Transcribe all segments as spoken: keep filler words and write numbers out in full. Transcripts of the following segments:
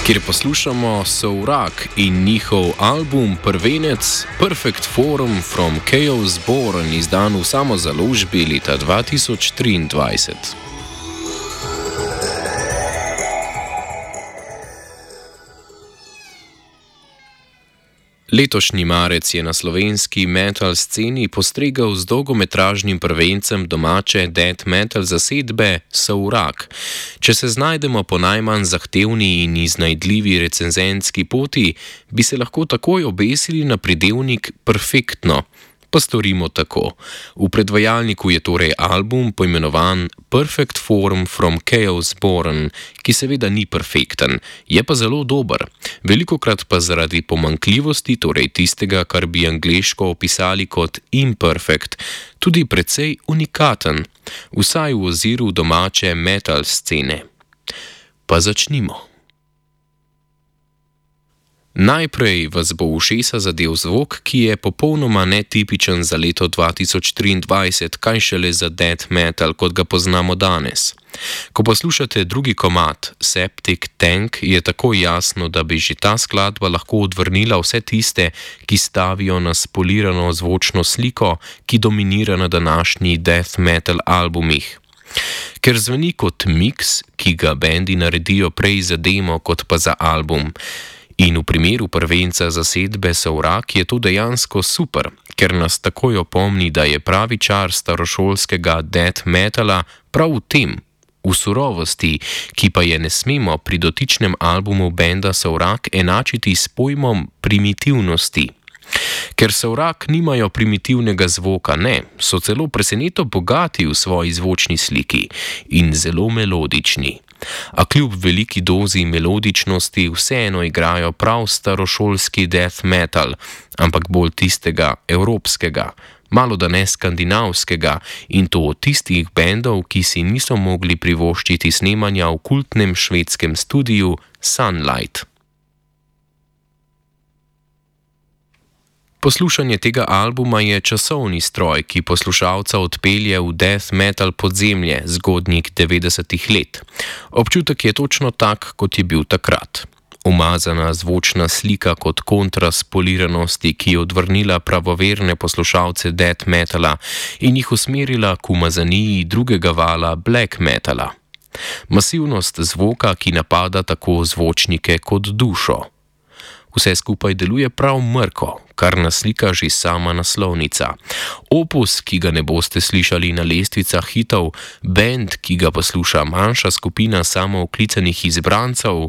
kjer poslušamo Sovrak in njihov album Prvenec Perfect Form from Chaos Born, izdan v samozaložbi leta dva tisoč triindvajset. Letošnji marec je na slovenski metal sceni postregel z dolgometražnim prvencem domače death metal zasedbe Sovrak. Če se znajdemo po najmanj zahtevni in iznajdljivi recenzentski poti, bi se lahko takoj obesili na pridevnik perfektno. Pa storimo tako. V predvajalniku je torej album poimenovan Perfect Form from Chaos Born, ki seveda ni perfekten, je pa zelo dober. Velikokrat pa zaradi pomanjkljivosti, torej tistega, kar bi angleško opisali kot imperfect, tudi precej unikaten, vsaj v oziru domače metal scene. Pa začnimo. Najprej vas bo v ušesa zadel zvok, ki je popolnoma netipičen za leto dva tisoč triindvajset, kaj šele za death metal, kot ga poznamo danes. Ko poslušate drugi komad, Septic Tank, je tako jasno, da bi že ta skladba lahko odvrnila vse tiste, ki stavijo na spolirano zvočno sliko, ki dominira na današnji death metal albumih. Ker zveni kot miks, ki ga bendi naredijo prej za demo, kot pa za album. In v primeru prvenca zasedbe Sovrak je to dejansko super, ker nas takoj opomni, da je pravi čar starošolskega death metala prav v tem, v surovosti, ki pa je ne smemo pri dotičnem albumu benda Sovrak enačiti s pojmom primitivnosti. Ker Sovrak nimajo primitivnega zvoka, ne, so celo preseneto bogati v svoji zvočni sliki in zelo melodični. A kljub veliki dozi melodičnosti vseeno igrajo prav starošolski death metal, ampak bolj tistega evropskega, malo da ne skandinavskega, in to od tistih bendov, ki si niso mogli privoščiti snemanja v kultnem švedskem studiu Sunlight. Poslušanje tega albuma je časovni stroj, ki poslušalca odpelje v death metal podzemlje zgodnjih devetdesetih let. Občutek je točno tak, kot je bil takrat. Umazana zvočna slika kot kontrast poliranosti, ki je odvrnila pravoverne poslušalce death metala in jih usmerila k umazaniji drugega vala black metala. Masivnost zvoka, ki napada tako zvočnike kot dušo. Vse skupaj deluje prav mrko, kar naslika že sama naslovnica. Opus, ki ga ne boste slišali na lestvicah hitov, bend, ki ga posluša manjša skupina samooklicanih izbrancev,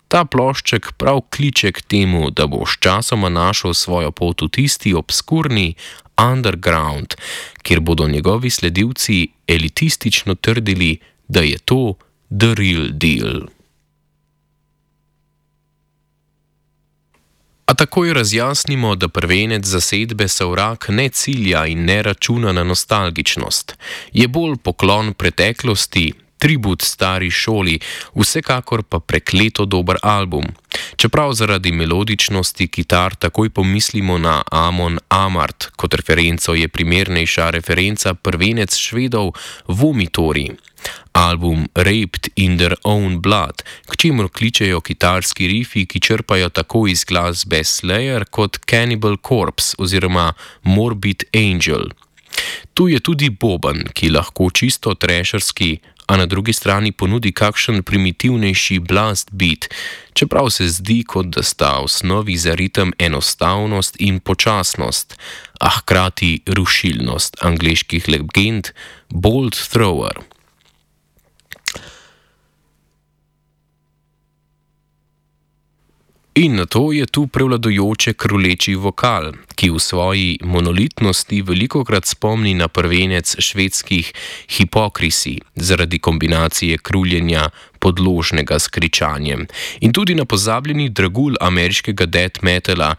ta plošček prav kliče k temu, da bo sčasoma našel svojo pot v tisti obskurni underground, kjer bodo njegovi sledilci elitistično trdili, da je to the real deal. A takoj razjasnimo, da prvenec zasedbe Sovrak ne cilja in ne računa na nostalgičnost. Je bolj poklon preteklosti, tribut stari šoli, vsekakor pa prekleto dober album. Čeprav zaradi melodičnosti kitar takoj pomislimo na Amon Amarth, kot referenco je primernejša referenca prvenec Švedov Vomitori. Album Raped in Their Own Blood, k čemur kličejo kitarski rifi, ki črpajo tako iz glasbe Slayer kot Cannibal Corpse oziroma Morbid Angel. Tu je tudi boben, ki lahko čisto trasherski, a na drugi strani ponudi kakšen primitivnejši blast beat, čeprav se zdi, kot da sta v osnovi za ritem enostavnost in počasnost, a hkrati rušilnost angleških legend Bolt Thrower. In nato je tu prevladujoče kruleči vokal, ki v svoji monolitnosti velikokrat spomni na prvenec švedskih Hypocrisy zaradi kombinacije kruljenja podložnega s kričanjem in tudi na pozabljeni dragulj ameriškega death metala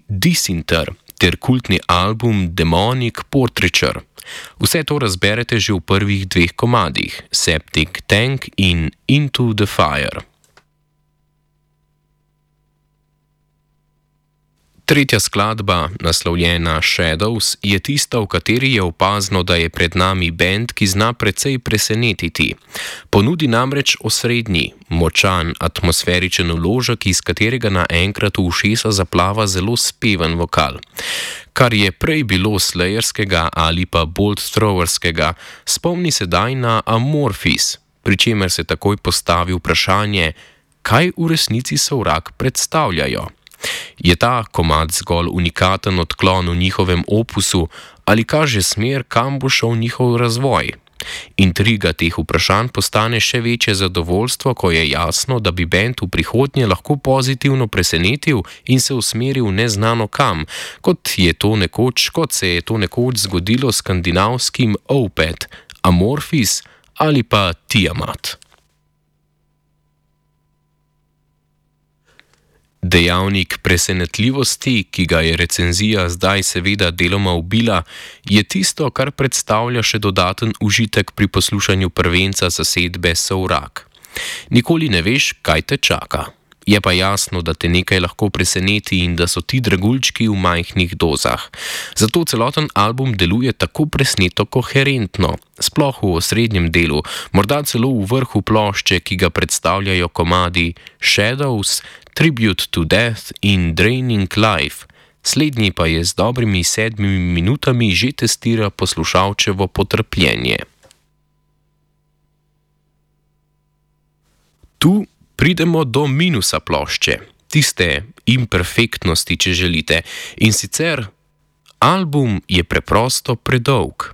Disinter ter kultni album Demonic Portraiture. Vse to razberete že v prvih dveh komadih, Septic Tank in Into the Fire. Tretja skladba, naslovljena Shadows, je tista, v kateri je opazno, da je pred nami bend, ki zna precej presenetiti. Ponudi namreč osrednji, močan, atmosferičen vložek, iz katerega naenkrat v ušesa zaplava zelo speven vokal. Kar je prej bilo slayerskega ali pa bolt throwerskega, spomni sedaj na Amorphis, pri čemer se takoj postavi vprašanje, kaj v resnici Sovrak predstavljajo. Je ta komad zgolj unikaten odklon v njihovem opusu ali kaže smer, kam bo šel njihov razvoj? Intriga teh vprašanj postane še večje zadovoljstvo, ko je jasno, da bi bend v prihodnje lahko pozitivno presenetil in se usmeril neznano kam, kot je to nekoč, kot se je to nekoč zgodilo s skandinavskim Opeth, Amorphis ali pa Tiamat. Dejavnik presenetljivosti, ki ga je recenzija zdaj seveda deloma ubila, je tisto, kar predstavlja še dodaten užitek pri poslušanju prvenca zasedbe Sovrak. Nikoli ne veš, kaj te čaka. Je pa jasno, da te nekaj lahko preseneti in da so ti dragulčki v majhnih dozah. Zato celoten album deluje tako presneto koherentno, sploh v osrednjem delu, morda celo v vrhu plošče, ki ga predstavljajo komadi Shadows, Tribute to Death in Draining Life. Slednji pa je z dobrimi sedmimi minutami že testira poslušalčevo potrpljenje. Tu pridemo do minusa plošče, tiste imperfektnosti, če želite, in sicer album je preprosto predolg.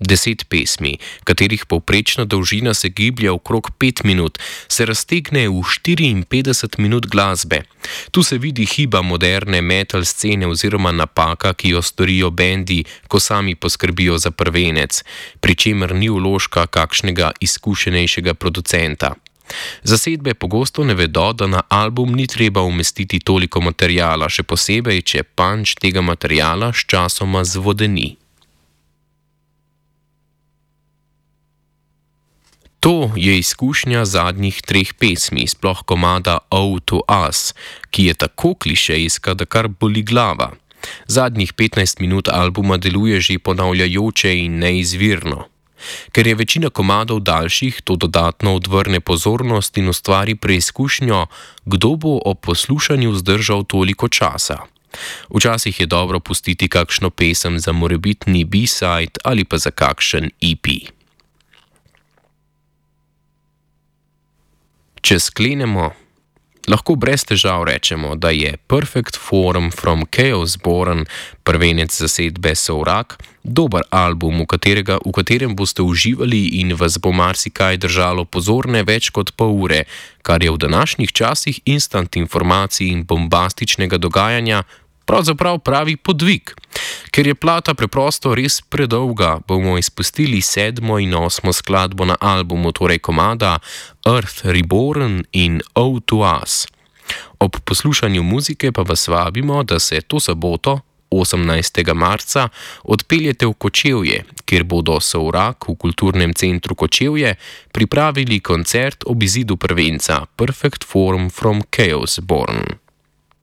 Deset pesmi, katerih povprečna dolžina se giblje okrog pet minut, se raztegne v štiriinpetdeset minut glasbe. Tu se vidi hiba moderne metal scene oziroma napaka, ki jo storijo bendi, ko sami poskrbijo za prvenec, pri čemer ni vložka kakšnega izkušenejšega producenta. Zasedbe pogosto ne vedo, da na album ni treba umestiti toliko materiala, še posebej, če punch tega materiala sčasoma zvodeni. To je izkušnja zadnjih treh pesmi, sploh komada Ode to Us, ki je tako klišejska, da kar boli glava. Zadnjih petnajst minut albuma deluje že ponavljajoče in neizvirno. Ker je večina komadov daljših, to dodatno odvrne pozornost in ustvari preizkušnjo, kdo bo ob poslušanju zdržal toliko časa. Včasih je dobro pustiti kakšno pesem za morebitni B-side ali pa za kakšen E P. Če sklenemo, lahko brez težav rečemo, da je Perfect Form from Chaos Born, prvenec zasedbe Sovrak, dober album, v, katerega, v katerem boste uživali in vas bo marsikaj držalo pozorne več kot pol ure, kar je v današnjih časih instant informacij in bombastičnega dogajanja pravzaprav pravi podvig. Ker je plata preprosto res predolga, bomo izpustili sedmo in osmo skladbo na albumu, torej komada Earth Reborn in Ode to Us. Ob poslušanju muzike pa vas vabimo, da se to soboto, osemnajstega marca, odpeljete v Kočevje, kjer bodo Sovrak v Kulturnem centru Kočevje pripravili koncert ob izidu prvenca Perfect Form from Chaos Born.